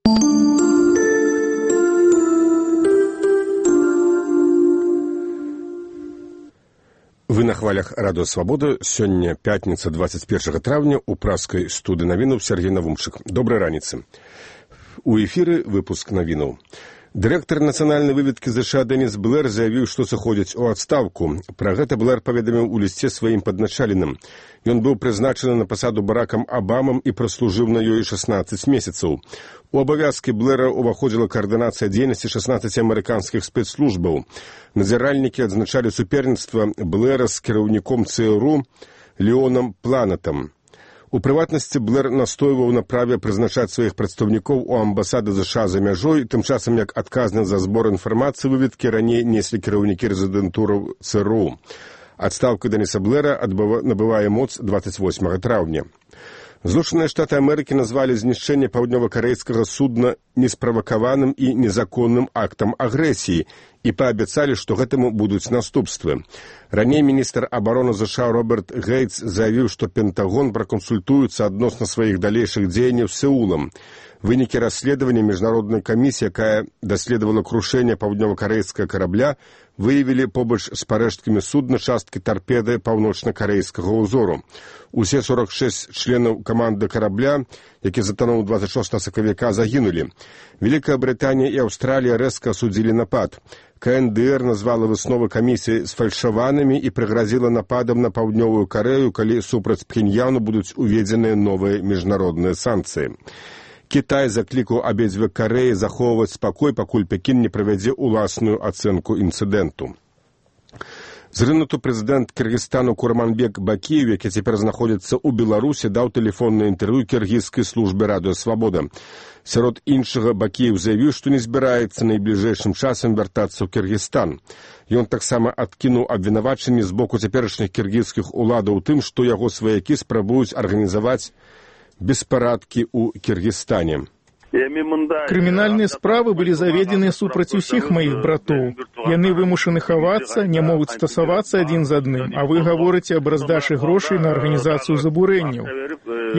Вы на хвалях Радыё Свабода. Сёння пятніца, 21 траўня, у праскай студыі навінаў Сергей Навумчык. Добрай раніцы. У эфіры выпуск навінаў. Дырэктар нацыянальнай выведкі ЗША Дэніс Блэр заявіў, што сыходзіць у адстаўку. Пра гэта Блэр паведаміў у лісце сваім падначаленым. Ён быў прызначаны на пасаду Баракам Абамам і праслужыў на ёй 16 месяцаў. У абавязкі Блэра ўваходзіла каардынацыя дзейнасці 16 амерыканскіх спецслужбаў. Назіральнікі адзначалі суперніцтва Блэра з кіраўніком ЦРУ Леонам Планатам. У прыватнасці Блэр настойваў на праве прызначаць сваіх прадстаўнікоў у амбасады ЗША за мяжой, тым часам як адказны за збор інфармацыі выведкі раней неслі кіраўнікі рэзідэнтураў ЦРУ. Адстаўка Дэніса Блэра набывае моц 28 траўня. Злучаныя Штаты Амерыкі назвалі знішчэнне паўднёва-карэйскага судна несправакаваным і незаконным актам агрэсіі і паабяцалі, што гэтаму будуць наступствы. Раней міністр абароны ЗША Роберт Гейтс заявіў, што Пентагон пракансультуецца адносна сваіх далейшых дзеянняў з Сеулам. Вынікі расследавання міжнароднай камісіі, якая даследавала крушэнне паўднёва-карэйскага карабля, выявілі побач з парэшткамі судна часткі тарпеды паўночна-карэйскага ўзору. Усе 46 членаў каманды карабля, які затонуў 26 сакавіка, загінулі. Вялікая Брытанія і Аўстралія рэзка асудзілі напад. КНДР назвала высновы камісіі сфальшаванымі і прыгразіла нападам на паўднёвую Карэю, калі супраць Пхеньяну будуць уведзеныя новыя міжнародныя санкцыі. Кітай заклікаў абедзве Карэі захоўваць спакой, пакуль Пекін не правядзе ўласную ацэнку інцыдэнту. Зрынуты прэзідэнт Кыргызстану Курманбек Бакиев, які цяпер знаходзіцца ў Беларусі, даў тэлефоннае інтэрв'ю кіргізскай службе Радыё Свабода. Сярод іншага Бакиев заявіў, што не збіраецца найбліжэйшым часам вяртацца ў Кыргызстан. Ён таксама адкінуў абвінавачанні з боку цяперашніх кіргізскіх уладаў тым, што яго сваякі спрабуюць арганізаваць беспарадкі ў Кыргызстане. Крымінальныя справы былі заведзены супраць усіх маіх братоў. Яны вымушаны хавацца, не могуць стасавацца адзін з адным, а вы гаворыце аб раздачы грошай на арганізацыю забурэнняў.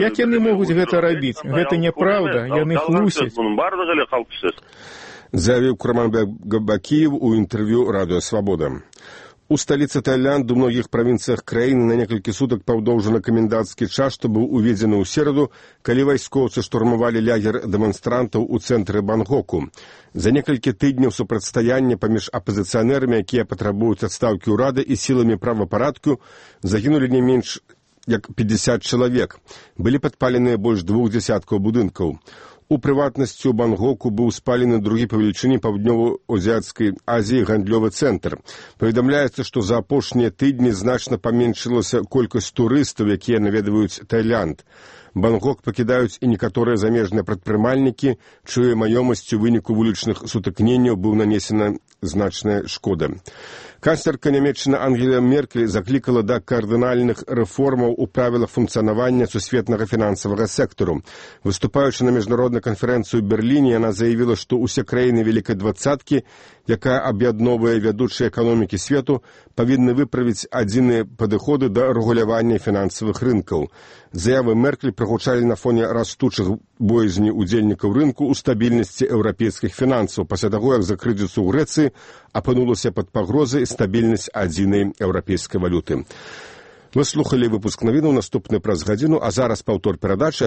Як яны могуць гэта рабіць? Гэта няправда, яны хлусяць. Заявіў Курманбек Бакиев у інтэрв'ю Радыё Свабода. У сталіцы Таіланду, у многіх правінцыях краіны на некалькі сутак паўдоўжаны камендантскі час, што быў уведзены ў сераду, калі вайскоўцы штурмавалі лагер дэманстрантаў у цэнтры Бангкоку. За некалькі тыдняў супрацьстаяння паміж апазіцыянерамі, якія патрабуюць адстаўкі ўрада, і сіламі правапарадку, загінулі не менш як 50 чалавек. Былі падпаленыя больш 2 дзясяткаў будынкаў. У прыватнасці ў Бангкоку быў спалены другі па велічыні паўднёва-азіяцкай Азіі гандлёвы цэнтр. Паведамляецца, што за апошнія тыдні значна паменшылася колькасць турыстаў, якія наведваюць Таіланд. Бангкок пакідаюць і некаторыя замежныя прадпрымальнікі, чыёй маёмасцю ў выніку вулічных сутыкненняў быў нанесена значная шкода. Канцлерка Нямецчыны Ангела Меркель заклікала да кардынальных рэформаў у правілах функцыянавання сусветнага фінансавага сектару. Выступаючы на міжнароднай канферэнцыі ў Берліне, яна заявіла, што ўсе краіны Вялікай двадцаткі, якая аб'ядноўвае вядучыя эканомікі свету, павінны выправіць адзіныя падыходы да рэгулявання фінансавых рынкаў. Заявы Меркель прагучалі на фоне растучых боязні удзельнікаў рынку ў стабільнасці еўрапейскіх фінансаў, пасля таго, як за крызісу ў Грэцыі апынулася пад пагрозай стабільнасць адзінай еўрапейскай валюты. Вы слухалі выпуск навінаў, наступны праз гадзіну, а зараз паўтор перадачы.